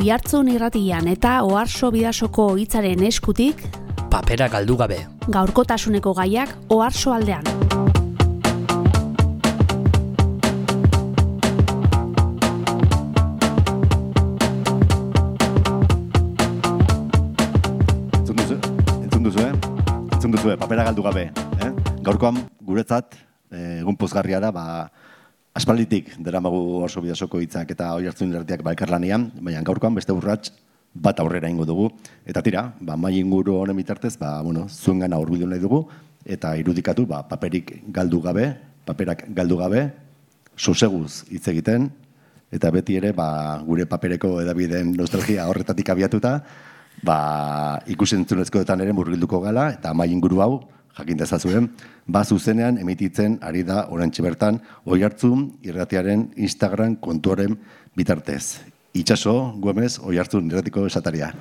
Oihartzun irratian eta Oarso Bidasoko hitzaren eskutik papera galdu gabe. Gaurkotasuneko gaiak Oarso aldean. Entzun duzue, papera galdu gabe. Gaurkoan guretzat egun pozgarria da, aspalditik deramagu Oarso Bidasoko hitzak eta Oihartzun irratiak elkarlanean, baina gaurkoan beste urrats bat aurrera ingo dugu. Eta tira, mai inguru honen bitartez, zuengana hurbildu nahi dugu, eta irudikatu paperak galdu gabe, soseguz hitz egiten, eta beti ere gure papereko edabideen nostalgia horretatik abiatuta, ikusentzunezkoetan ere murgilduko gala, eta mai inguru hau, jakin dezazuen, zuzenean emititzen ari da oraintxe bertan Oihartzun irratiaren Instagram kontuaren bitartez. Itxaso, Gomez, Oihartzun irratiko esataria.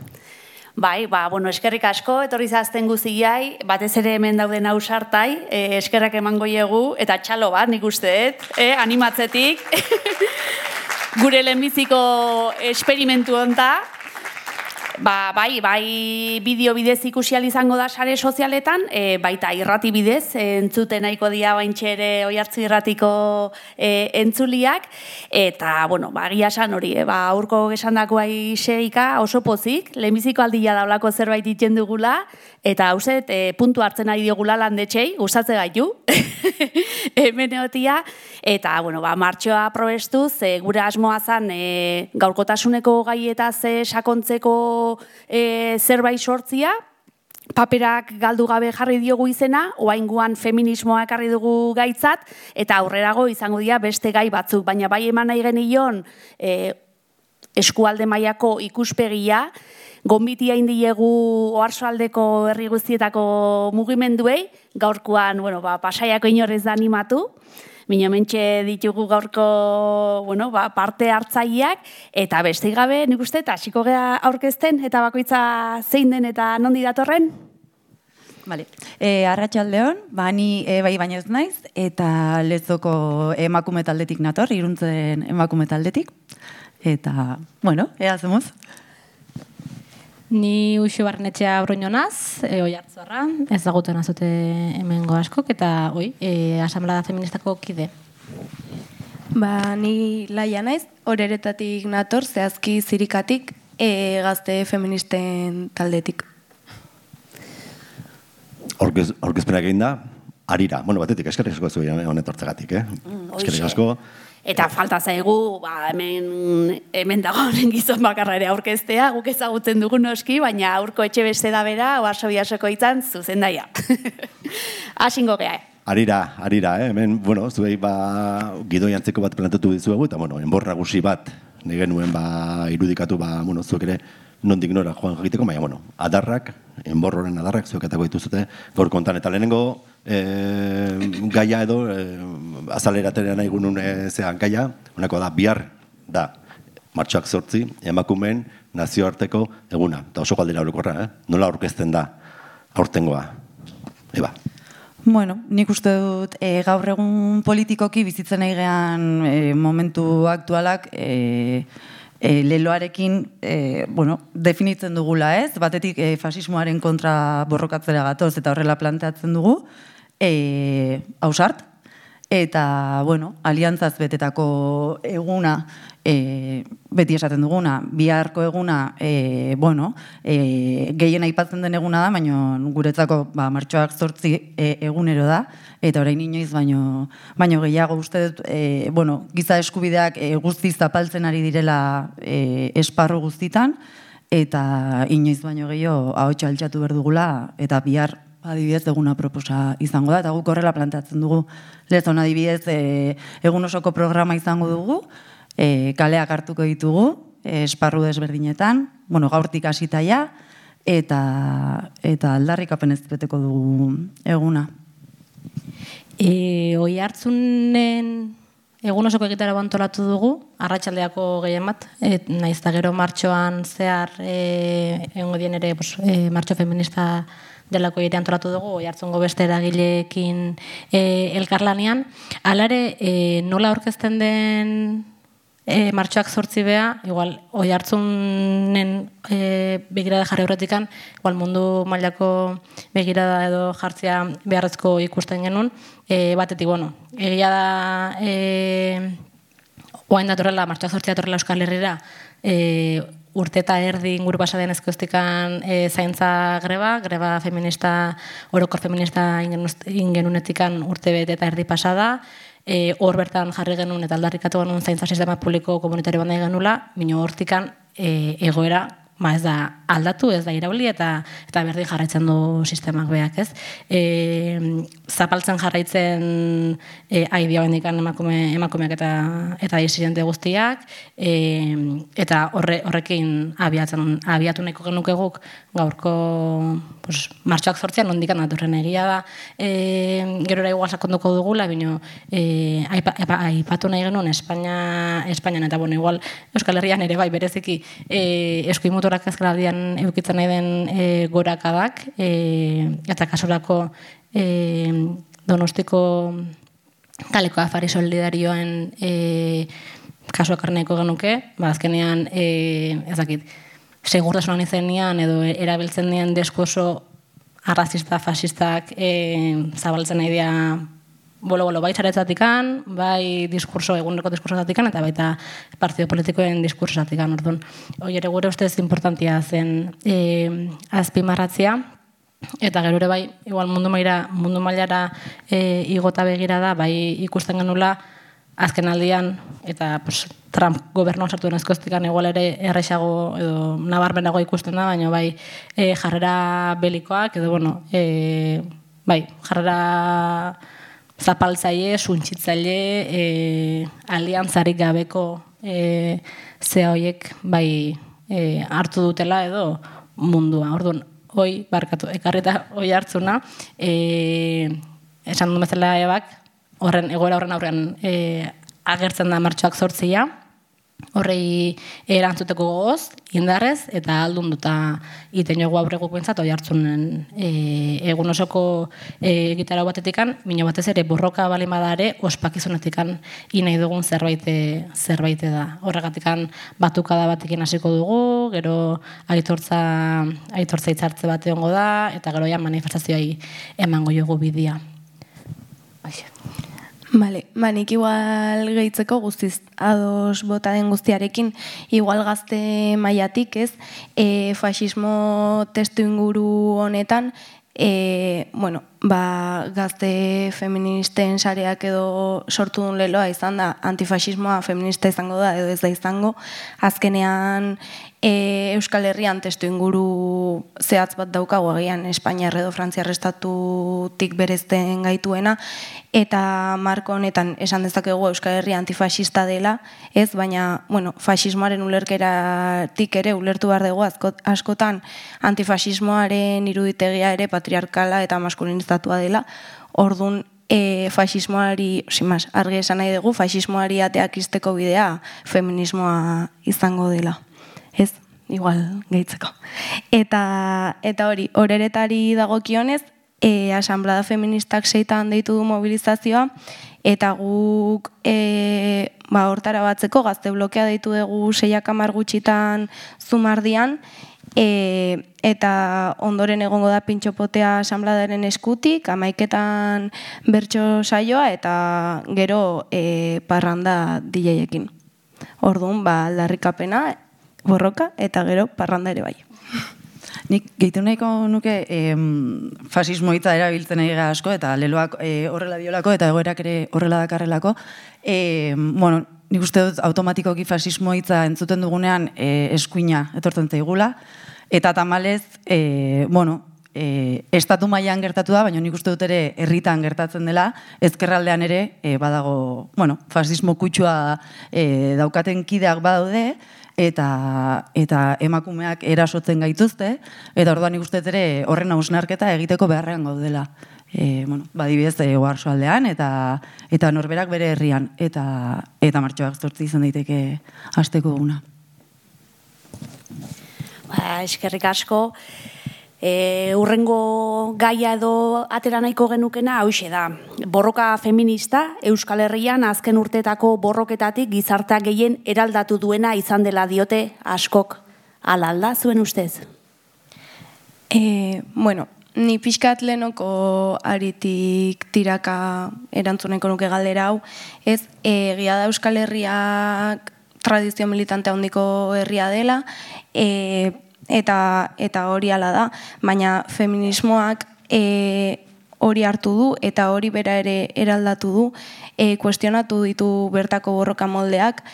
Eskerrik asko, etorri zazten guziai, batez ere hemen dauden ausartai, eskerrak emango diegu, eta txalo bat, nik usteet, animatzetik, gure lehenbiziko esperimentu honta, bideo bidez ikusi ahal izango da sare sozialetan, baita irrati bidez, entzuten nahiko dira baintxe ere Oihartzun irratiko entzuliak, eta, egia esan hori, aurko gesandakoa iseika oso pozik, lehenbiziko aldia daulako zerbait iten dugula, eta hauzet, puntu hartzen ari diogula landetxei, gustatze gaitu, hemeneotia, eta, martxoa probestuz, gure asmoa zan, gaurkotasuneko gaietaz sakontzeko zerbait sortzia, paperak galdu gabe jarri diogu izena, oraingoan feminismoa ekarri dugu gaitzat, eta aurrerago izango dira beste gai batzuk, baina bai eman nahi genion eskualde mailako ikuspegia, gonbitia indiegu Oarsoaldeko herri guztietako mugimenduei, gaurkoan, Pasaiako inorrez da animatu, Minomentxe ditugu gaurko parte hartzaileak, eta beste gabe, nik uste, eta hasiko gea aurkezten, eta bakoitza zein den eta nondi datorren? Arratsaldeon, ni baina ez naiz, eta Lezoko emakume taldetik nator, Iruntzen emakume taldetik, eta, ea zemuz. Ni Uxu Barnetxea Bruño naz, Oihartzorra, ezaguten azute hemengo askok, eta Asamblea Feministako kide. Ni Laia naiz, Oreretatik nator, zehazki Zirikatik, gazte feministen taldetik. Aurkezpenak egin da, Arira. Batetik, eskerrik asko zuen honetortzegatik, eskerrik asko. Eta falta zaigu, hemen dagoen gizon bakarra ere aurkeztea, guk ezagutzen dugu noski, baina aurko etxe beste da bera, Oarso Bidasoko hitzan zuzendaia. Asingo gea. Arira, hemen, zuei gidoi antzeko bat planteatu dizuegu, eta, enbor nagusi bat, nire nuen irudikatu, zuek ere, nondik nora joan jakiteko, baina, adarrak, enborroren adarrak, zueketako dituzute, gaur kontan, eta lehenengo gaia edo, azaleraterean nahi gunun zean gaia, honako da, bihar da, martxoak 8, emakumeen nazioarteko eguna, eta oso galdera orokorra, nola aurkezten da aurtengoa, Eba. Nik uste dut gaur egun politikoki bizitzen nahi gean momentu aktualak leloarekin definitzen dugula, ez? Batetik fasismoaren kontra borrokatzera gatoz eta horrela planteatzen dugu, ausart, eta, aliantzaz betetako eguna, beti esaten duguna, biharko eguna, gehien aipatzen den eguna da, baina guretzako martxoak 8 egunero da, eta orain inoiz baino gehiago uste dut, giza eskubideak guztiz zapaltzen ari direla esparru guztitan, eta inoiz baino gehiago ahotsa altxatu behar dugula, eta bihar adibidez eguna proposa izango da, eta guk horrela planteatzen dugu. Lezon adibidez egun osoko programa izango dugu, kaleak hartuko ditugu, esparru desberdinetan, gaurtik hasitaia, eta aldarrikapen ez beteko dugu eguna. Oihartzunen egun osoko egitara antolatu dugu, arratsaldeako gehien bat, nahiz eta gero martxoan zehar egongo dien ere martxo feminista delako ere antolatu dugu, Oihartzungo beste eragileekin elkarlanean. Hala ere, nola aurkezten den martxoak 8 bea, igual, oi hartzunen begirada jarri horretikan, igual mundu mailako begirada edo jartzea beharrezko ikusten genuen, batetik, bueno, egia da, oain datorrela, martxoak 8 datorrela Euskal Herrira, urte eta erdi inguru pasaden ezkoztikan zaintza greba feminista, orokor feminista ingenunetikan urte bete eta erdi pasada, hor bertan jarri genuen eta aldarrikatu genuen zaintza sistema publiko komunitario bandai genula, bino hortikan egoera ez da aldatu, ez da irauli eta berdin jarraitzen du sistemak beak, ez? Zapaltzen jarraitzen aidea bendikan emakumeak eta disidente guztiak, eta horrekin abiatu nahiko genuke guk gaurko martxoak 8 nondikan datorren egia da, gerora igual sakonduko dugula, bino aipatu nahi genuen Espainian eta bueno, igual Euskal Herrian ere bai bereziki eskuimutorak ezkeraldian eukitzen nahi den gorakadak, eta kasurako Donostiko kaleko afari solidarioen kasuak arneko genuke, azkenean ezakit, segurtasunan izenean edo erabiltzen dien diskurso arrazista, fascistak zabaltzen nahi dira bolo-bolo, bai txaretzatikan, bai eguneko diskursoatikan, eta baita partido politikoen diskursoatikan, orduan. Hoi ere gure ustez importantia zen azpimarratzea, eta gero ere bai, igual mundu mailara igota begira da, bai ikusten genula, azken aldian, eta Trump gobernuan sartu den ezkoztikan, igual ere errexago edo nabarmenago ikusten da, baina bai jarrera belikoak, edo bueno, bai, jarrera zapaltzaile, suntsitzaile, aliantzarik gabeko zea horiek bai hartu dutela edo mundua. Orduan, hoi, barkatu, ekarreta hoi hartzuna, esan du bezala ebak, egoera horren aurrean agertzen da martxoak 8, horrei erantzuteko gogoz, indarrez, eta aldun duta iten jogu aurre gupentzat, hoi hartzunen egun osoko gitarau batetikan, mino batez ere borroka balimada ospakizunetikan inai dugun zerbait da. Horregatikan batukada batekin hasiko dugu, gero aitortza hitzartze bat egongo da, eta gero manifestazioai emango jogu bidea. Bale, nik igual gehitzeko guztiz ados bota den guztiarekin, igual gazte mailatik, ez, fascismo testu inguru honetan, gazte feministen sareak edo sortu duen leloa izan da, antifascismoa feminista izango da edo ez da izango, azkenean Euskal Herrian testu inguru zehatz bat daukagu agian Espainiar edo Frantziar estatutik berezten gaituena, eta marko honetan esan dezakegu Euskal Herria antifascista dela, ez, baina, fascismoaren ulerkeratik ere ulertu behar dugu askotan antifascismoaren iruditegia ere patriarkala eta maskulinizatua dela, orduan fascismoari, argi esan nahi dugu, fascismoari ateak izteko bidea feminismoa izango dela. Ez, igual gehitzeko. Eta hori, horeretari dagokionez, asamblada feministak 6 deitu du mobilizazioa, eta guk hortara batzeko gazte blokea deitu dugu 6 gutxitan Zumardian, eta ondoren egongo da pintxopotea asambladaren eskutik, 11 bertso saioa, eta gero parranda DJ-ekin. Orduan, aldarrikapena, borroka, eta gero parranda ere bai. Nik gehitu nahiko nuke fasismo hitza erabiltzen ari gara asko, eta leloak horrela diolako, eta egoerak ere horrela dakarrelako. Nik uste dut automatikoki fasismo hitza entzuten dugunean eskuina etortzen zaigula, eta tamalez, estatu mailan gertatu da, baina nik uste dut ere herritan gertatzen dela, ezkerraldean ere badago, fasismo kutsua daukaten kideak badaude, eta emakumeak erasotzen gaituzte, eta orduan nik uste dut ere horren hausnarketa egiteko beharrean gaudela. Badibidez, oarsoaldean, eta norberak bere herrian, eta martxoak 8 izan daiteke hasteko duguna. Eskerrik asko. Urrengo gaia edo atera nahiko genukena hauxe da. Borroka feminista Euskal Herrian azken urtetako borroketatik gizartea gehien eraldatu duena izan dela diote askok. Hala alda zuen ustez? Bueno, ni pixkat lehenoko aritik tiraka erantzuneko nuke galdera hau, ez, egia da Euskal Herriak tradizio militante handiko herria dela, eta hori hala da, baina feminismoak hori hartu du eta hori bera ere eraldatu du, kuestionatu ditu bertako borroka moldeak,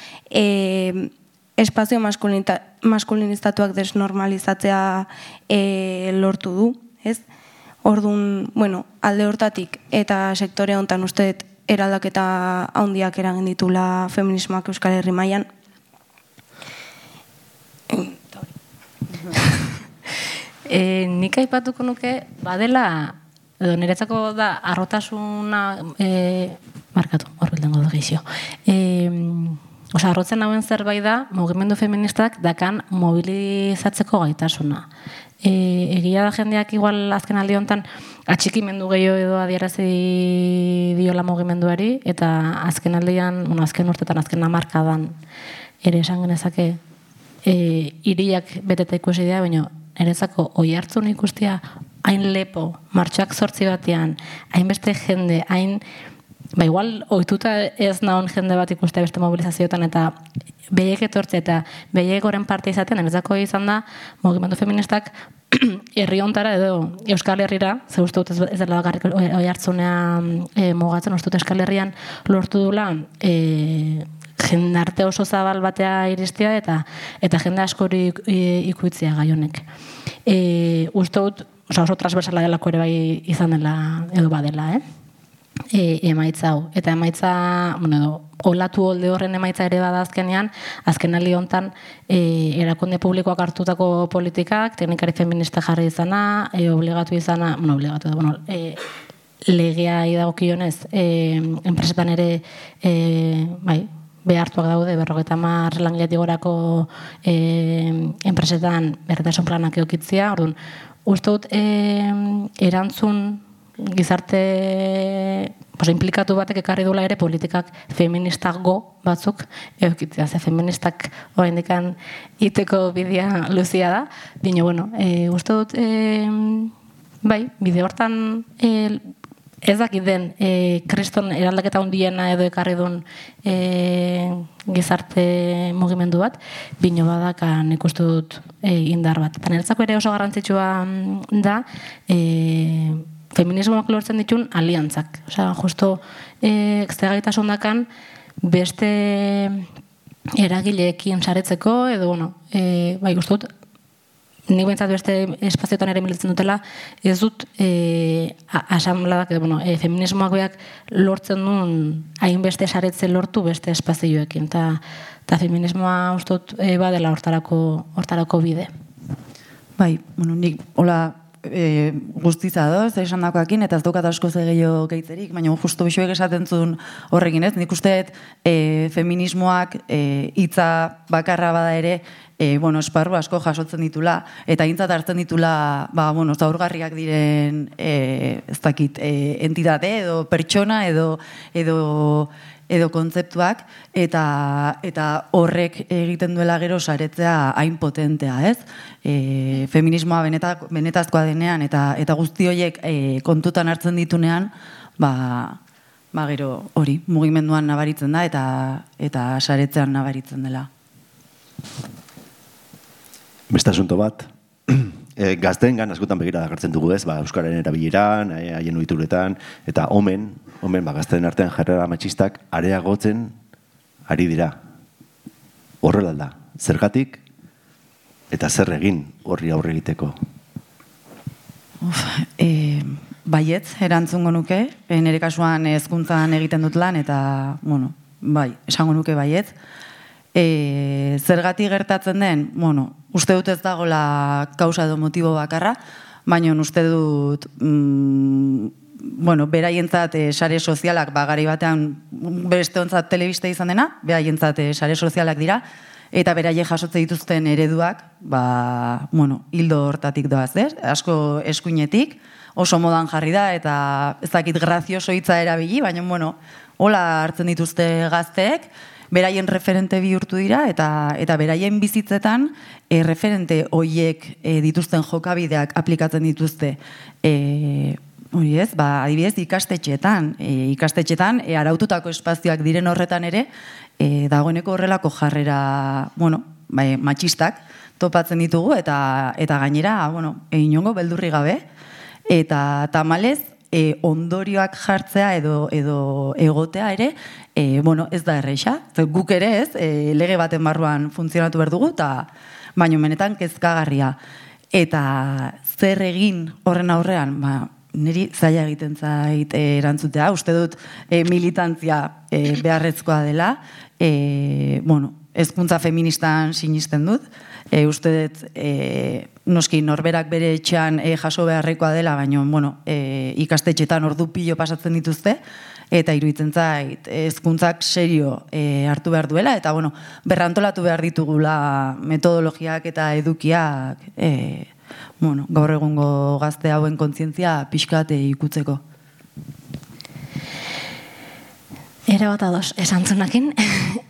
espazio maskulinizatuak desnormalizatzea lortu du, ez? Orduan, bueno, alde hortatik eta sektore honetan uste dut eraldaketa handiak eragin ditula feminismoak Euskal Herri mailan. Nik aipatuko nuke, badela, edo niretzako da, arrotasuna, markatu, horbildengo da gehizio. Arrotzen hauen zerbait da, mugimendu feministak dakan mobilizatzeko gaitasuna. Egia da jendeak igual azken aldi honetan atxikimendu gehiago edo adierazi diola mugimenduari, eta azken aldian, azken urtetan, azken hamarkadan ere esan genezake hiriak beteta ikusi dira, baina erezako oi hartzun ikustia hain lepo, martxoak 8 batean, hainbeste jende, hain, igual ohituta ez nahon jende bat ikustea beste mobilizazioetan, eta behiek etortze eta behiek goren parte izaten, erezako izan da, mugimendu feministak herri hontara edo Euskal Herrira, ze uste dut ez dela garrik oi hartzunean mugatzen, uste dut Euskal Herrian lortu dula jendarte oso zabal batea iristia eta jende askori ikuitzea gai honek. Uste dut, oso transversala delako ere bai izan dela edo badela, emaitza hau. Eta emaitza, olatu holde horren emaitza ere bada azkenean, azken aldi honetan erakunde publikoak hartutako politikak, teknikari feminista jarri izana, obligatu izana, legea idagokionez, enpresetan ere, behartuak daude, 50 langiletik gorako enpresetan berdintasun planak edukitzea. Orduan, uste dut erantzun gizarte implikatu batek ekarri dula ere politikak feministago batzuk edukitzea. Ze feministak oraindikan iteko bidea luzia da. Baina, uste dut, bide hortan ez dakit den kriston eraldaketa handiena edo ekarri duen gizarte mugimendu bat, bino badaka nik uste dut indar bat. Eta niretzako ere oso garrantzitsua da feminismoak lortzen ditun aliantzak. Justo gaitasun dakan beste eragileekin saretzeko edo, uste dut, nik behintzat beste espazioetan ere militzen dutela, ez dut asamladak, feminismoak beak lortzen duen hainbeste saretze lortu beste espazioekin. Eta feminismoa uste dut badela hortarako bide. Nik hola guztiza doz, esan dakoakin, eta ez daukat asko gehiago geitzerik, baina justu bixoek esaten zuen horrekin, ez? Nik usteet feminismoak hitza bakarra bada ere, esparru asko jasotzen ditula, eta hintzat hartzen ditula, zaurgarriak diren, ez dakit, entitate edo pertsona edo kontzeptuak, eta horrek egiten duela gero saretzea hain potentea, ez? Feminismoa benetazkoa denean, eta guzti horiek kontutan hartzen ditunean, gero hori, mugimenduan nabaritzen da, eta saretzean nabaritzen dela. Beste asunto bat, gazteengan askotan begira dakartzen dugu ez, Euskararen erabileran, haien ohituretan, eta omen, gazteen artean jarrera matxistak areagotzen ari dira. Horrela da, zergatik eta zer egin horri aurre egiteko? Baietz, erantzungo nuke, nire kasuan hezkuntzan egiten dut lan, eta, esango nuke baietz. Zergatik gertatzen den, uste dut ez dagoela kausa edo motibo bakarra, baina uste dut, beraientzat sare sozialak, gari batean beste ontzat telebista izan dena, beraientzat sare sozialak dira, eta beraiek jasotze dituzten ereduak, hildo hortatik doaz, asko eskuinetik, oso modan jarri da, eta ez dakit grazioso hitza erabili, baina, hola hartzen dituzte gazteek, beraien referente bihurtu dira, eta beraien bizitzetan referente hoiek dituzten jokabideak aplikatzen dituzte, hori ez, adibidez ikastetxetan, araututako espazioak diren horretan ere, dagoeneko horrelako jarrera, matxistak topatzen ditugu, eta gainera, inongo beldurri gabe, eta tamalez, ondorioak jartzea edo egotea ere, ez da erreixa. Guk ere ez, lege baten barruan funtzionatu behar dugu, baina benetan kezkagarria. Eta zer egin horren aurrean, niri zaila egiten zait erantzutea. Uste dut militantzia beharrezkoa dela. Hezkuntza feministan sinisten dut. Uste dut noski norberak bere etxean jaso beharrekoa dela, baina ikastetxetan ordu pilo pasatzen dituzte, eta iruditzen zait hezkuntzak serio hartu behar duela, eta berrantolatu behar ditugula metodologiak eta edukiak gaur egungo gazte hauen kontzientzia pixkat ikutzeko. Era bat ados, esantzunakin.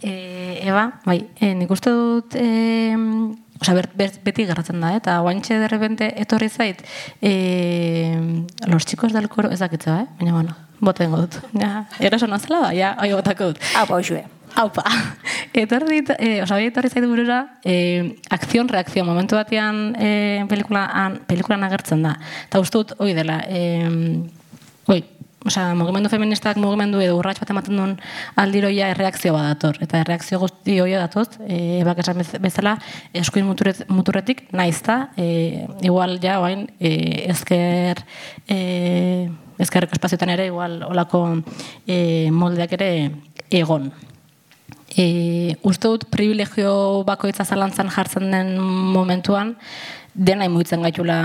Eba, nik uste dut, beti garratzen da, eta guantxe derrepente etorri zait, los chicos del coro, ez dakitza, baina, botengo dut. Eraso nazela da, hoi botako dut. Haupa, hoxue. Haupa. Etorri zait burura, akzion-reakzion, momentu batean pelikulan agertzen da. Eta uste dut, hoi dela, mugimendu feministak mugimendu edo urrats bat ematen duen aldiroia erreakzio bat dator. Eta erreakzio guzti hoia datoz, ebak esan bezala, eskuin muturretik naizta, igual ja, ezkerreko espazioetan ere, igual olako moldeak ere egon. Uste dut privilegio bakoitza zalantzan jartzen den momentuan, dena imuitzen gaitula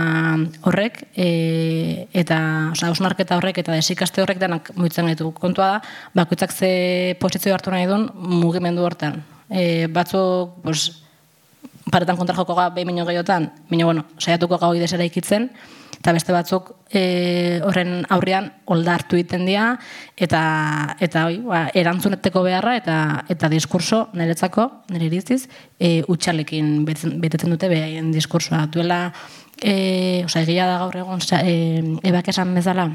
horrek, eta hausnarketa horrek eta desikaste horrek denak muitzen gaitu. Kontua da, bakoitzak ze posizio hartu nahi duen mugimendu hortan. Batzuk, paretan kontra joko behin minio gehiotan, saiatuko gau idesera ikitzen, eta beste batzuk horren aurrean oldartu egiten dira, eta erantzuneteko beharra eta diskurso niretzako, nire iritziz, utxalekin betetzen dute behaien diskursoa. Duela, egia da gaur egon, ebak esan bezala,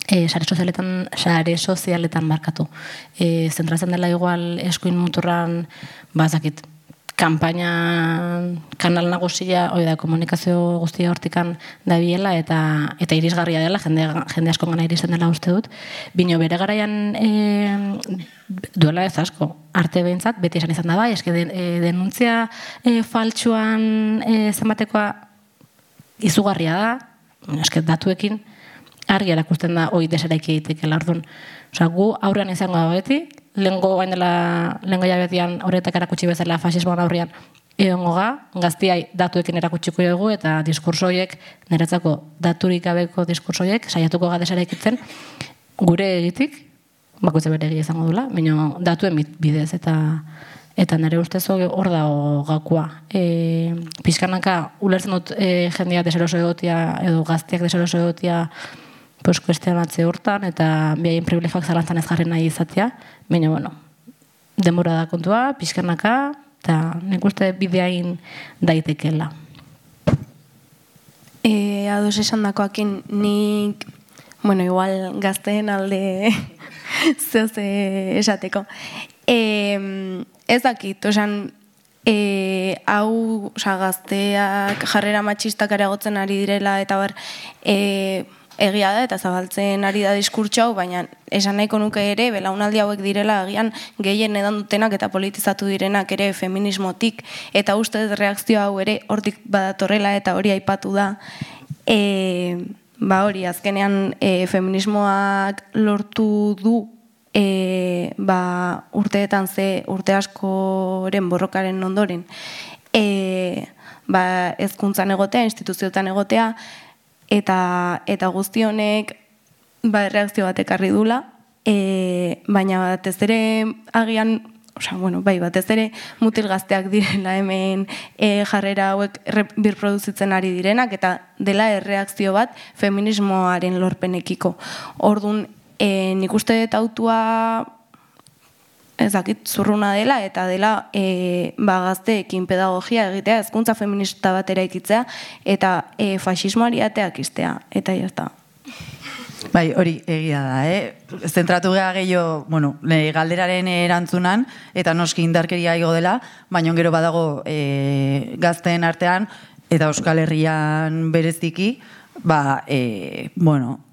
sare sozialetan markatu. Zentratzen dela igual eskuin muturran, bazakit, kanal nagusia, komunikazio guztia hortikan dabiela eta irisgarria dela, jende asko gana iristen dela uste dut. Bino bere garaian duela ez asko, arte behintzat, beti esan izan da bai, eske denuntzia faltsuan zenbatekoa izugarria da, eske datuekin argi erakusten da hoi deseraiki egitekeela orduan. Gu aurrean izango da beti, lehengo jabetian horretak erakutsi bezala fasismoan aurrean egongo gaztiai datuekin erakutsiko dugu eta diskurso horiek, niretzako daturik gabeko diskurso horiek, saiatuko gadesara ikitzen, gure egitik, bakoitza bere egia izango dula, baina datuen bidez eta nire ustez hor dago gakua. Pixkanaka, ulertzen dut jendeak deseroso egotia edo gaztiak deseroso egotia kuestionatze hortan eta behaien privilegioak zalantzan ez jarri nahi izatea, baina, denbora da kontua, pixkanaka, eta nik uste bideain daitekela. Ados esan dakoakin nik, igual gazteen alde zehoz esateko. Ez dakit, hau gazteak jarrera matxistak areagotzen ari direla eta egia da eta zabaltzen ari da diskurtso hau, baina esan nahiko nuke ere, belaunaldi hauek direla agian gehien edan dutenak eta politizatu direnak ere feminismotik, eta uste reakzio hau ere hortik badatorrela eta hori aipatu da. Hori, azkenean feminismoak lortu du urteetan urte askoren borrokaren ondoren hezkuntzan egotea, instituzioetan egotea, eta guzti honek reakzio bat ekarri dula, baina batez ere agian bai, batez ere mutil gazteak direla hemen jarrera hauek birproduzitzen ari direnak, eta dela erreakzio bat feminismoaren lorpenekiko. Orduan, nik uste dut autua ez dakit zurruna dela, eta dela gazteekin pedagogia egitea, hezkuntza feminista bat eraikitzea, eta faxismoari ateak iztea, eta jazta. Bai, hori egia da, Zentratu geha gehiago, galderaren erantzunan, eta noski indarkeria igo dela, baina gero badago gazteen artean, eta Euskal Herrian bereziki,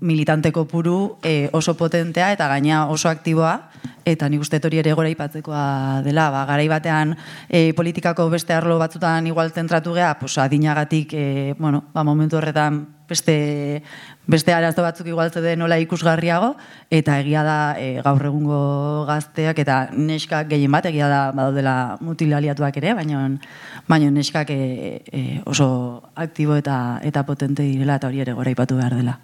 militante kopuru oso potentea eta gaina oso aktiboa, eta nik uste hori ere gora ipatzekoa dela, garai batean politikako beste arlo batzutan igual zentratu geha, adinagatik, momentu horretan beste arazo batzuk igual zeuden nola ikusgarriago, eta egia da gaur egungo gazteak, eta neskak gehien bat, egia da badaudela mutil aliatuak ere, baina neskak oso aktibo eta potente direla, eta hori ere gora ipatu behar dela.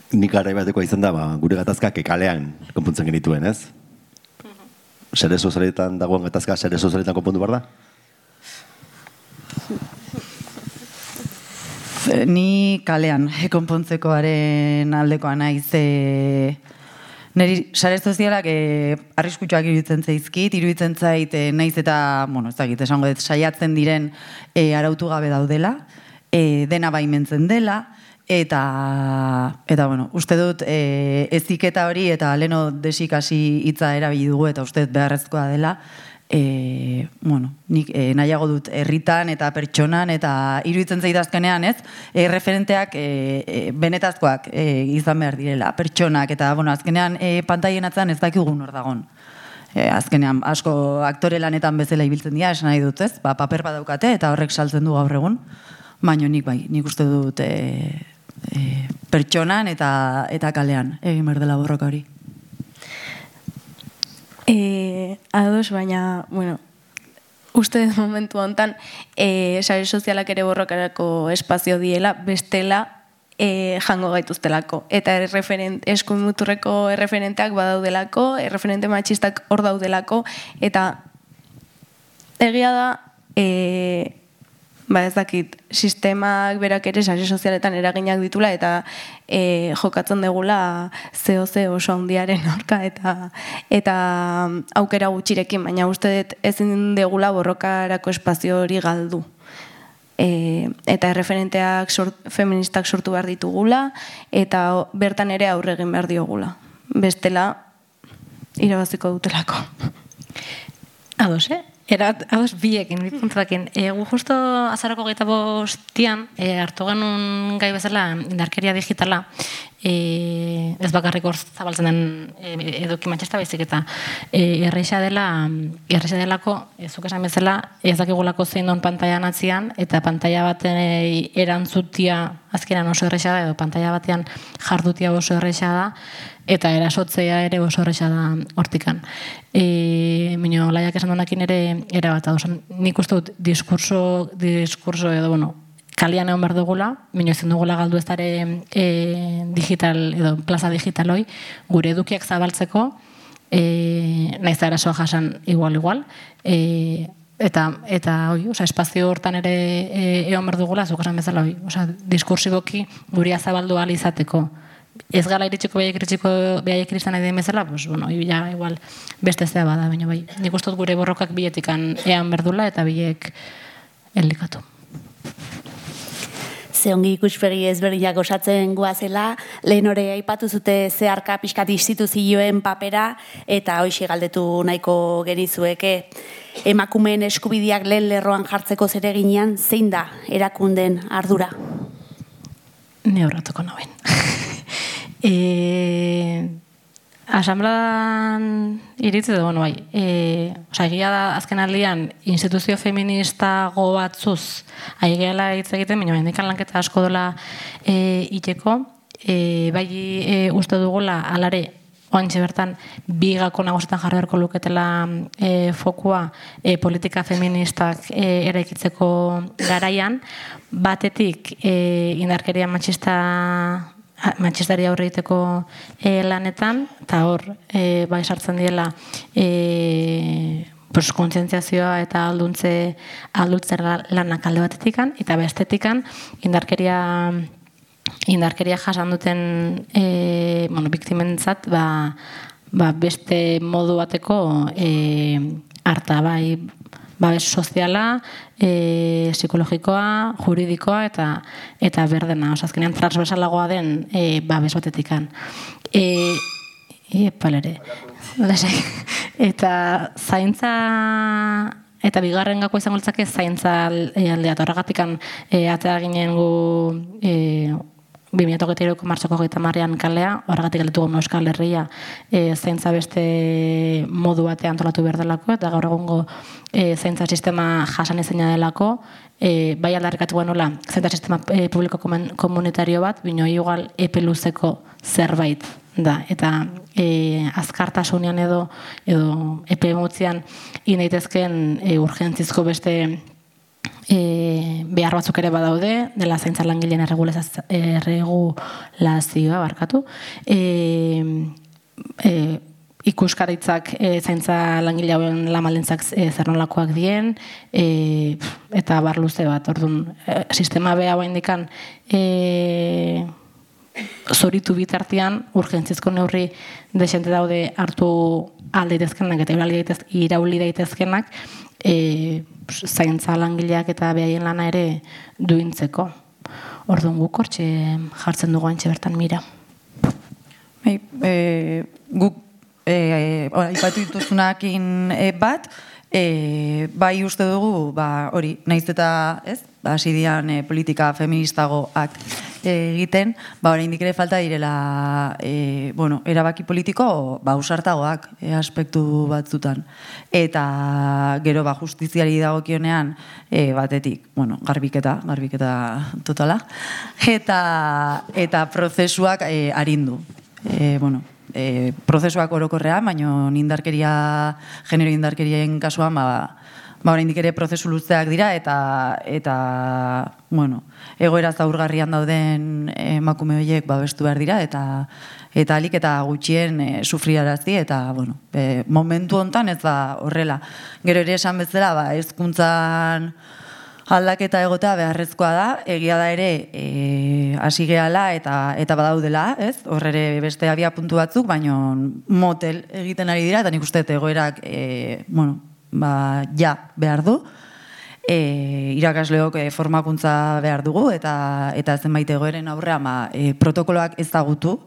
Nik garai batekoa izan da, gure gatazkak kalean konpuntzen genituen, ez? Sare sozialetan dagoen gatazka, sare sozialetan konpondu behar da? Ni kalean konpontzekoaren aldekoa naiz, niri sare sozialak arriskutsuak iruditzen zaizkit, iruditzen zait naiz eta, esango dut, saiatzen diren arautu gabe daudela, dena baimentzen dela, eta uste dut eziketa hori eta leno desikasi hitza erabili dugu eta uste dut beharrezkoa dela, nik nahiago dut herritan eta pertsonan eta iruditzen zait azkenean, referenteak benetazkoak izan behar direla, pertsonak, eta azkenean pantaien atzean ez dakigun hor dagon. Azkenean asko aktore lanetan bezala ibiltzen dira, esan nahi dut, paper badaukate eta horrek saltzen du gaur egun, baina nik uste dut pertsonan eta kalean egin behar dela borroka hori. Ados, baina, uste dut momentu honetan, sare sozialak ere borrokarako espazio diela, bestela jango gaituztelako. Eta eskuin muturreko erreferenteak badaudelako, erreferente matxistak hor daudelako, eta egia da, ez dakit, sistemak berak ere sare sozialetan eraginak ditula eta jokatzen degula zeo oso handiaren aurka eta aukera gutxirekin, baina uste dut ezin degula borrokarako espazio hori galdu. Eta erreferenteak feministak sortu behar ditugula eta bertan ere aurre egin behar diogula. Bestela, irabaziko dutelako. Ados, Ados biekin, bi puntuakin. Gu justo azarako 25 hartu genuen gai bezala indarkeria digitala, ez bakarrik hor zabaltzen den eduki matxesta baizik eta erreixa delako, zuk esan bezala, ez dakigulako zein don pantailan atzian, eta pantaila baten erantzutia azkenan oso erreixa da, edo pantaila batean jardutia oso erreixa da, eta erasotzea ere oso erreixa da hortikan. Mino, laiak esan donakin ere erabat, nik uste dut diskurso edo, kalian egon behar dugula, mino ezin dugula galdu ez dara digital, edo plaza digital hoi, gure edukiak zabaltzeko, naiz da erasoa jasan igual, eta espazio hortan ere egon behar dugula, zuk esan bezala hoi, diskursiboki guria zabaldu ahal izateko. Ez gala iritsiko behaiek iristan nahi den bezala, igual beste zea bada, baina bai, nik uste dut gure borrokak biletikan ean berdula eta bilek elikatu. Zeongi ikuspegi ezberdinak osatzen goazela, lehen hori aipatu zute zeharka pixkat instituzioen papera, eta hoxe galdetu nahiko genizueke. Emakumeen eskubideak lehen lerroan jartzeko zereginean, zein da erakunden ardura? Ne horratuko nauen. Asamblean iritzi edo, egia da azken aldian instituzio feministago batzuz aigeala hitz egiten, baina hendikan lanketa asko dola iteko, bai uste dugula alare oantxe bertan bigako nagusetan jarri beharko luketela fokua politika feministak eraikitzeko garaian, batetik indarkeria matxista matxistari aurre egiteko lanetan, eta hor, bai sartzen diela, kontzientziazioa eta alduntzen lanak alde batetikan, eta bestetikan indarkeria jasan duten biktimentzat beste modu bateko harta, bai babes soziala, psikologikoa, juridikoa eta berdena, azkenean transversalagoa den babes batetikan. Palere. Eta zaintza, eta bigarren gako izango litzake zaintza aldea, eta horregatikan atzera ginen gu 2023ko martxoko 30ean kalea, horregatik galdetu guen Euskal Herria zaintza beste modu batean antolatu behar delako, eta gaur egungo zaintza sistema jasan ezina delako, bai aldarrikatu genuela zaintza sistema publiko komunitario bat, bino igual epe luzeko zerbait da, eta azkartasunean edo epe motzian daitezkeen urgentzizko beste behar batzuk ere badaude, dela zaintza langileen erregulazioa barkatu, ikuskaritzak zaintza langile hauen lamaldintzak zer nolakoak dien, eta bar luze bat, orduan, sistema beha baindikan zoritu bitartean, urgentzizko neurri desente daude hartu aldeitezkenak eta irauli daitezkenak, zaintza langileak eta behaien lana ere duintzeko. Orduan guk hortxe jartzen dugu antxe bertan mira. Guk aipatu dituzunakin bat, bai uste dugu, hori, nahiz eta, ez, hasi dian politika feministagoak egiten, oraindik ere falta direla erabaki politiko ausartagoak aspektu batzutan. Eta gero justiziari dagokionean batetik, garbiketa totala, eta prozesuak arindu. Prozesuak orokorrean, baina genero indarkerien kasuan, oraindik ere prozesu luzeak dira eta egoera zaurgarrian dauden emakume horiek babestu behar dira eta alik eta gutxien sufriarazi eta momentu hontan ez da horrela. Gero ere esan bezala hezkuntzan aldaketa egotea beharrezkoa da, egia da ere hasi gehala eta badaudela, ez? Hor ere beste abia puntu batzuk, baina motel egiten ari dira eta nik uste egoerak behar du, irakasleok formakuntza behar dugu eta zenbait egoeren aurrean protokoloak ezagutu,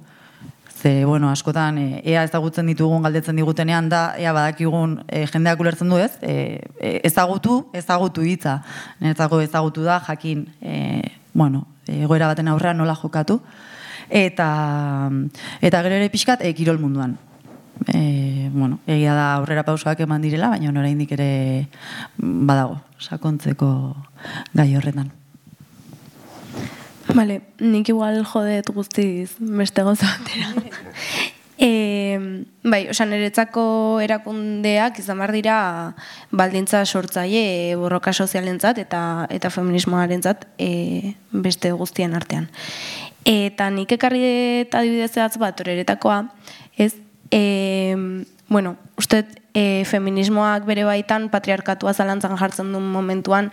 ze, askotan ea ezagutzen ditugun galdetzen digutenean da, ea badakigun jendeak ulertzen du ez, ezagutu hitza, niretzako ezagutu da, jakin, egoera baten aurrean nola jokatu, eta gero ere pixkat kirol munduan. Egia da aurrera pausoak eman direla, baina oraindik ere badago sakontzeko gai horretan. Vale, nik igual jodet guztiz beste gauza batera. Niretzako erakundeak izan behar dira baldintza sortzaile borroka sozialentzat eta feminismoarentzat beste guztien artean. Eta nik ekarri eta adibidez bat horretakoa, ez, uste feminismoak bere baitan patriarkatua zalantzan jartzen duen momentuan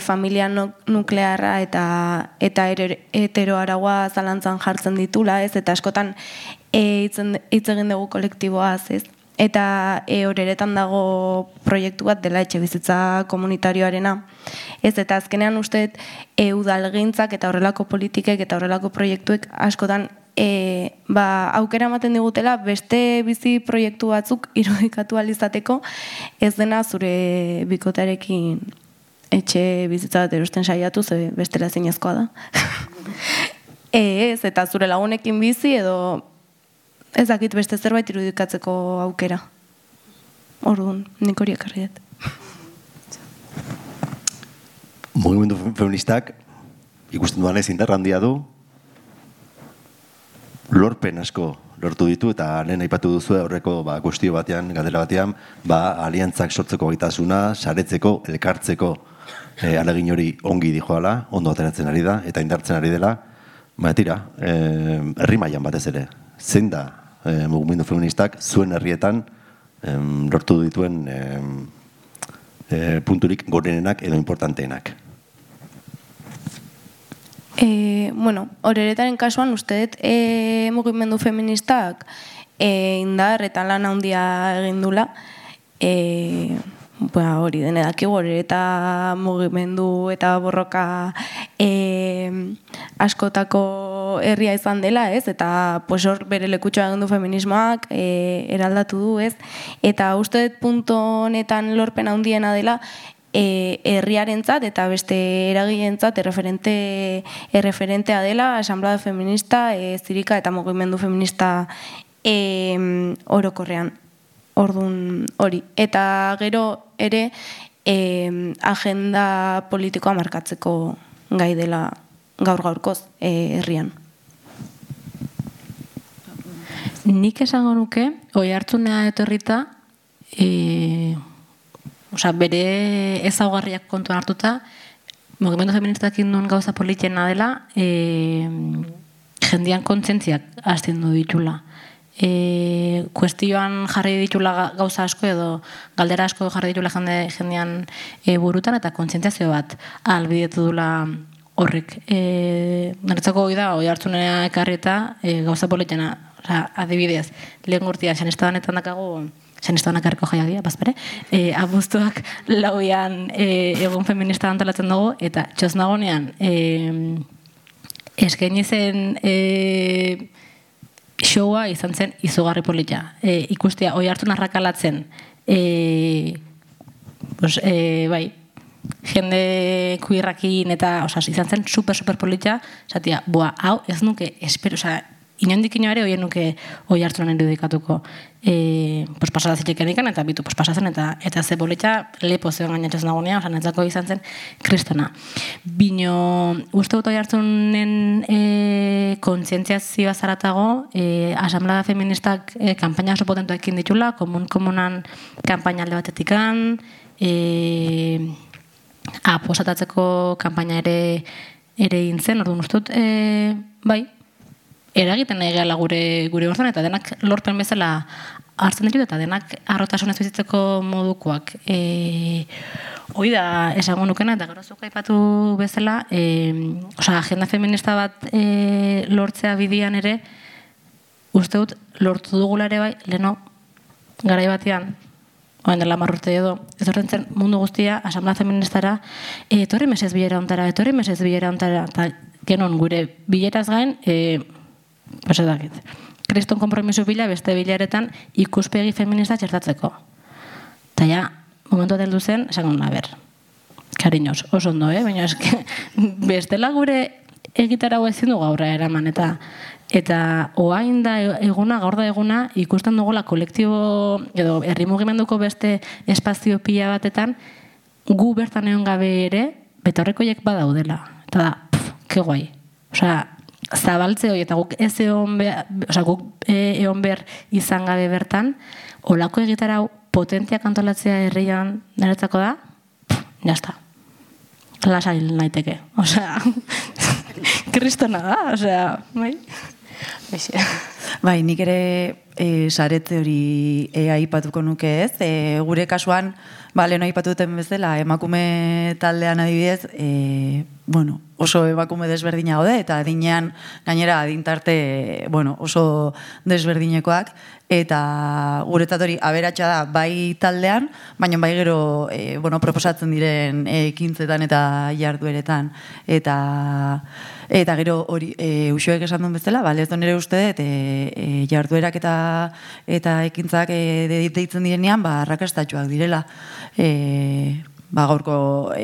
familia nuklearra eta heteroaragoa zalantzan jartzen ditula, ez? Eta askotan hitz egin dugu kolektiboaz, ez? Eta horeretan dago proiektu bat dela etxebizitza komunitarioarena. Ez, eta azkenean uste udalgintzak eta horrelako politikek eta horrelako proiektuek askotan aukera ematen digutela beste bizi proiektu batzuk irudikatu alizateko ez dena zure bikotarekin etxe bizitza bat erosten saiatu, ze bestela zinezkoa da. Ez, eta zure lagunekin bizi edo ez dakit beste zerbait irudikatzeko aukera. Orduan, nik hori ekarri dut. Mugimendu feministak ikusten duan ez indarra handia du, lorpen asko lortu ditu, eta lehen aipatu duzu horreko kuestio batean, galdera batean, aliantzak sortzeko gaitasuna, saretzeko, elkartzeko alegin hori ongi dijoala, ondo ateratzen ari da, eta indartzen ari dela, Tira, herri mailan batez ere, zein da mugimendu feministak zuen herrietan lortu dituen punturik gorenenak edo importanteenak? Horeretaren kasuan uste dut mugimendu feministak indar eta lan handia egin dula. Hori denedakigu horereta mugimendu eta borroka askotako herria izan dela, ez? Eta hor bere lekutxoa egin du feminismoak eraldatu du, ez? Eta uste dut punto honetan lorpen handiena dela herriarentzat eta beste eragilentzat erreferentea dela asamblea feminista, zirika eta mugimendu feminista orokorrean. Ordun hori. Eta gero ere agenda politikoa markatzeko gai dela gaur-gaurkoz herrian. Nik esango nuke, Oiartzunera etorrita, bere ezaugarriak kontuan hartuta, mugimendu feministak induen gauza politiena dela, jendean kontzentziak astindu ditula. Kuestioan jarri ditula gauza asko edo galdera asko jarri ditula jendean burutan eta kontzientziazio bat ahalbidetu dula horrek. Niretzako hori da, Oiartzunera ekarri eta gauza politiena, adibidez, lehen gurtia, Sanestadanetan dakago, Sanestadan ekarriko jaiagia, bazpere, abuztuak lauian egun feminista antolatzen dugu, eta txosnagonean eskaini zen showa izan zen izugarri polita. Ikustea, Oiartzun arrakalatzen, bai, jende kuirrakin eta, izan zen super polita, esatia, hau ez nuke, espero, inondik inoare hoien nuke Oiartzunen irudikatuko. Pasada zitekenikan eta bitu pasazen eta ze polita lepo zeon gainatxez nagunea, netzako izan zen kristona. Bino, uste dut Oiartzunen kontzientziazioa zaratago, asamblea feministak kanpaina oso potentuekin ditula, komunan kanpaina alde batetikan, aposatatzeko kanpaina ere intzen, orduan uste dut, bai, eragiten nahi gehala gure gortan, eta denak lorpen bezala hartzen ditu, eta denak arrotasunez bizitzeko modukoak. Hoi da esango nukena, eta gero zuk aipatu bezala, agenda feminista bat lortzea bidian ere, uste dut, lortu dugula ere bai, leheno, garai batean, oen dela marrurte edo, ez horrentzen mundu guztia, asamblea feministara, etorri mesez bilera ontara, eta genon gure bileraz gain, pasadakit. Kriston konpromiso bila beste bilaretan ikuspegi feminista txertatzeko. Eta ja, momentu heldu zen, esan gona, kariñoz, oso ondo, baina eske, bestela gure egitarau ezin du gaurra eraman, eta oain da eguna, gaur da eguna, ikusten dugola kolektibo, edo herri mugimenduko beste espazio pila batetan, gu bertan egon gabe ere, betaurrekoiek badaudela. Eta da, ke guai. Zabaltze hori, eta guk ez egon behar izan gabe bertan, olako egitarau potentziak antolatzea herrian niretzako da, jazta. Lasai naiteke. Kristona da, bai? Bai, nik ere saretze hori aipatuko nuke ez. Gure kasuan, lehen aipatu duten bezala, emakume taldean adibidez, oso emakume desberdina gaude, eta adinean gainera adintarte oso desberdinekoak, eta guretzat hori aberatsa da bai taldean, baina bai gero proposatzen diren ekintzetan eta jardueretan. Eta gero hori Uxoek esan duen bezala, ez nire uste dut jarduerak eta ekintzak deitzen direnean arrakastatxoak direla. Gaurko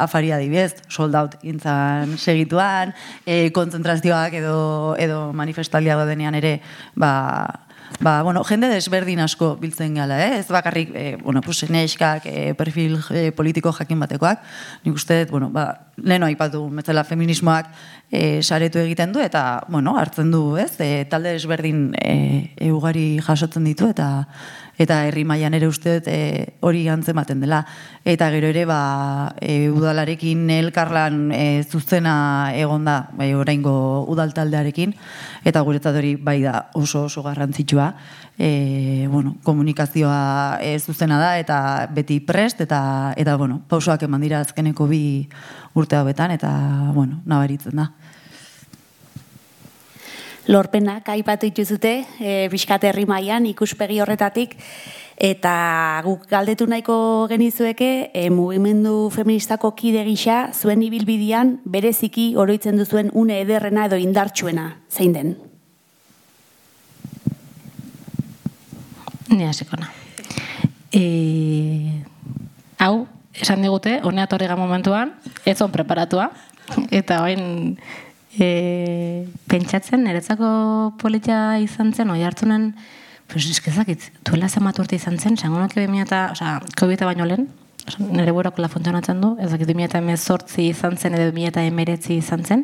afari adibidez, sold out gintzan segituan, kontzentrazioak edo manifestaldia denean ere jende desberdin asko biltzen gala, ez bakarrik, neskak, perfil politiko jakin batekoak, nik uste dut, leheno aipatu metzela feminismoak saretu egiten du, eta, hartzen du, ez, talde desberdin ugari jasotzen ditu, eta herri mailan ere uste dut hori antzematen dela. Eta gero ere, udalarekin elkarlan zuzena egon da, oraingo udal taldearekin, eta guretzat hori bai da oso garrantzitsua. Komunikazioa zuzena da, eta beti prest, eta pausoak eman dira azkeneko 2 urte hauetan, eta, nabaritzen da. Lorpenak aipatu dituzute, pixkat herri mailan ikuspegi horretatik, eta guk galdetu nahiko genizueke, mugimendu feministako kide gisa, zuen ibilbidean bereziki oroitzen duzuen une ederrena edo indartsuena, zein den? Ni hasikona. Hau, esan digute, honea torriga momentuan, ez on preparatua, eta orain pentsatzen, niretzako politia izan zen, oi hartzunen, eskezakit, duela zenbat urte izan zen, zangonak COVID baino lehen, nire burakola funtzionatzen du, ezakit 2018 izan zen, edo 2019 izan zen,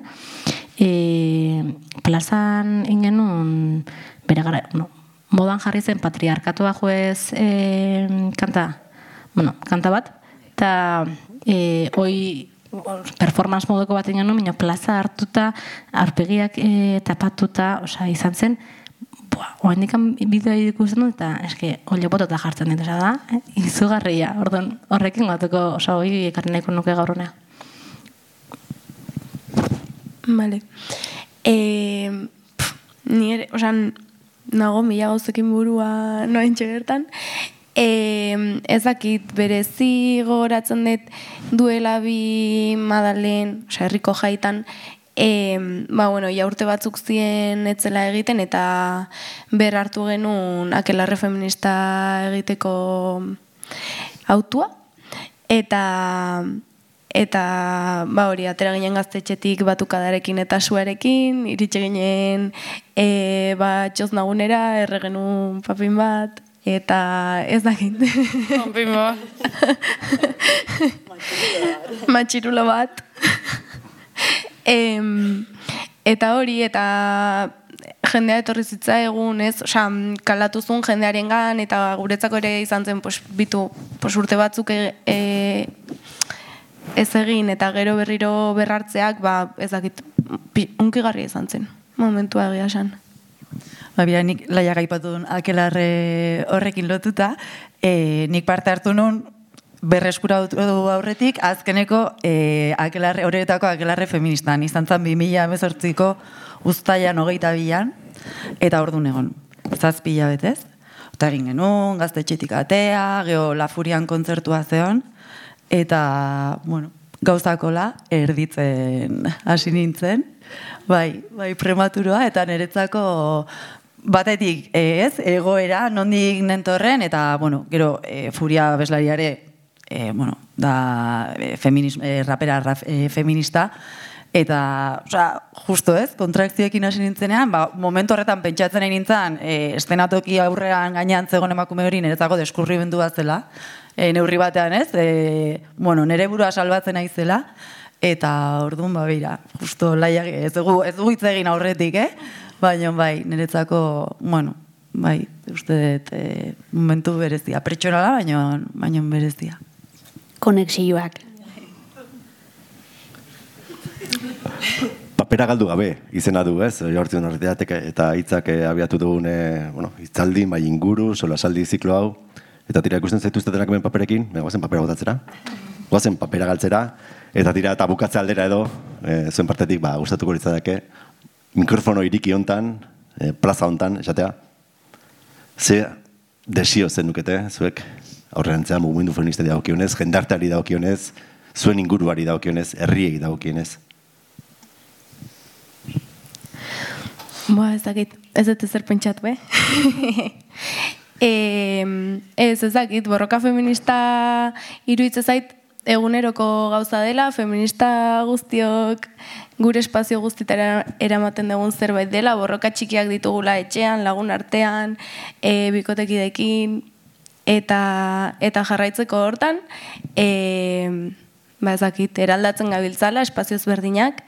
plazan ingenun, bere gara, modan jarri zen patriarkatua juez kanta bat, eta hoi performance moduko bat ingenu, minio plaza hartuta, aurpegiak tapatuta, izan zen, oaindikan bideoa ikusten dut, eta eske, olio botota jartzen ditu, da, izugarria, horrekin gatuko, hoi ekarri nahiko nuke gaur honea. Vale. Nire, nago mila gauzekin burua noain txegertan, ezakit berezi gogoratzen dut duela 2 Madalen, herriko jaitan, urte batzuk zien etzela egiten, eta ber hartu genuen akelarre feminista egiteko autua, eta hori, atera ginen gaztetxetik batukadarekin eta suarekin, iritsi ginen txoz nagunera, erre genuen papin bat, eta ez dakit. Papin bat. Matxirulo bat. Eta hori, eta jendea etorri zitza egun, ez? Kalatu zuen jendearen gan, eta guretzako ere izan zen, urte batzuk ez egin, eta gero berriro berrartzeak, ez dakit, unkigarria izan zen, momentua egia esan. Nik laia gaipatu duen akelarre horrekin lotuta, nik parte hartu nuen berreskuratu aurretik, azkeneko horretako akelarre feministan, izan zen 2018ko uztailan 22an, eta orduan egon, 7 hilabetez. Eta egin genuen, gaztetxetik atea, geho La Furian kontzertua zeon, eta, gauzakola erditzen hasi nintzen, bai prematuroa, eta niretzako batetik egoera, nondik nentorren, eta, gero, Furia abeslariare, rapera feminista, eta, justo kontrakzioekin hasi nintzenean, momentu horretan pentsatzen nintzen, estenatoki aurrean gainean zegoen emakume hori niretzako deskurrimendu bat zela, neurri batean nire burua salbatzen naizela, eta orduan justo laiak ez dugu hitz egin aurretik, baina niretzako, uste dut momentu berezia, pertsonala, baina berezia. Konexioak. Papera galdu gabe izena du, ez? Jortzen horretatik eta hitzak abiatu dugun hitzaldi, inguru, solasaldi ziklo hau, eta tira ikusten zaituztetenak hemen paperekin, goazen papera botatzera, goazen papera galtzera, eta tira eta bukatze aldera edo, zuen partetik gustatuko litzateke, mikrofono iriki hontan, plaza hontan, esatea, ze desio zen nukete, zuek aurrerantzean mugimendu feministari dagokionez, jendarteari dagokionez, zuen inguruari dagokionez, herriei dagokionez. Ez dakit, ez dut ezer pentsatu, ez dakit, borroka feminista iruditzen zait, eguneroko gauza dela, feminista guztiok gure espazio guztitara eramaten dugun zerbait dela, borroka txikiak ditugula etxean, lagun artean, bikotekidekin, eta jarraitzeko hortan, ezakit, eraldatzen gabiltzala, espazio ezberdinak,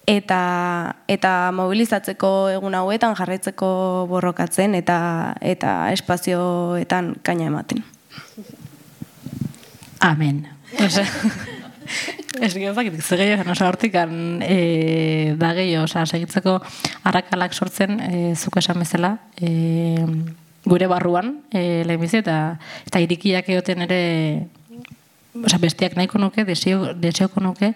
eta mobilizatzeko egun hauetan jarraitzeko borrokatzen eta espazioetan kaina ematen. Amen. Ez gehiagoak, zegeio, hortikan da gehiago, segitzeko arrakalak sortzen, zuk esan bezala, gure barruan, lehenbizi, eta irikiak egoten ere, bestiak nahiko nuke, deseoko nuke,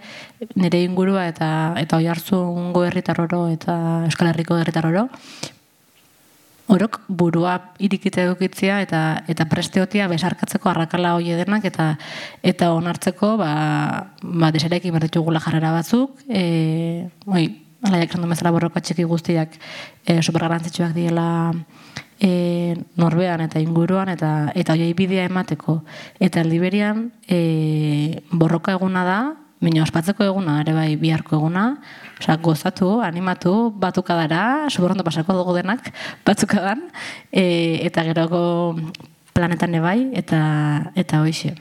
nire ingurua eta oihartzungo herritarroro eta Euskal Herriko herritarroro, orok burua irikita edukitzea eta presteotia besarkatzeko arrakala hoi denak eta onartzeko deserekin berditugula jarrera batzuk, alaiak esan du bezala borroka txiki guztiak supergarrantzitsuak diela norbean eta inguruan eta hoiei bidea emateko. Eta aldiberian borroka eguna da, baina ospatzeko eguna, ere bai biharko eguna, gozatu, animatu, batukadara, superondo pasako dugu denak, batzukadan, eta geroko planetan ebai, eta hoixe.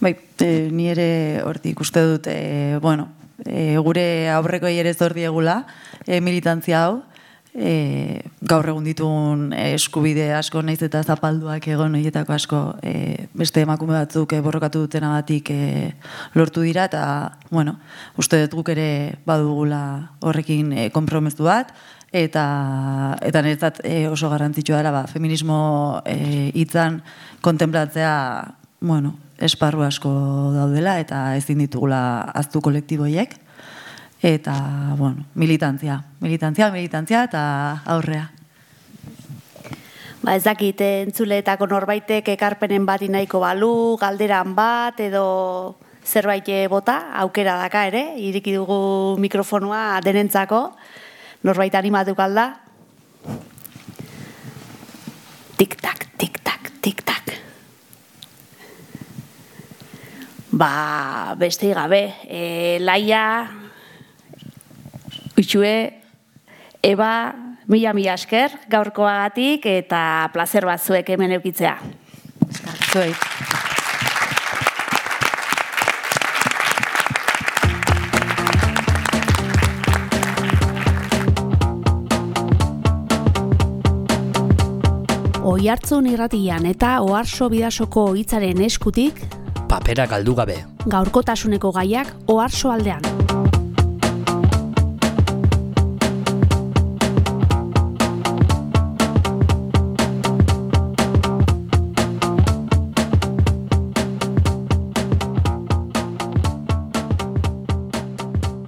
Bai, ni ere hortik uste dut, gure aurreko ere zor diegula, militantzia hau, gaur egun ditugun eskubide asko naiz eta zapalduak egon horietako asko beste emakume batzuk borrokatu dutenagatik lortu dira eta uste dut guk ere badugula horrekin konpromezu bat eta niretzat oso garrantzitsua dela feminismo hitzan kontenplatzea esparru asko daudela eta ezin ditugula ahaztu kolektiboiek. Eta, militantzia eta aurrea. Ez dakit, entzuleetako norbaitek ekarpenen bat nahiko balu, galderan bat, edo zerbait bota, aukera daka ere, iriki dugu mikrofonua denentzako, norbait animatu kalda. Tik-tak, tik-tak, tik-tak. Beste gabe, Laia, Uxue, Eba, mila esker gaurkoagatik eta plazer bat zuek hemen eukitzea. Zuei. Oihartzun irratian eta Oharso Bidasoko hitzaren eskutik papera galdu gabe. Gaurkotasuneko gaiak Oharso aldean.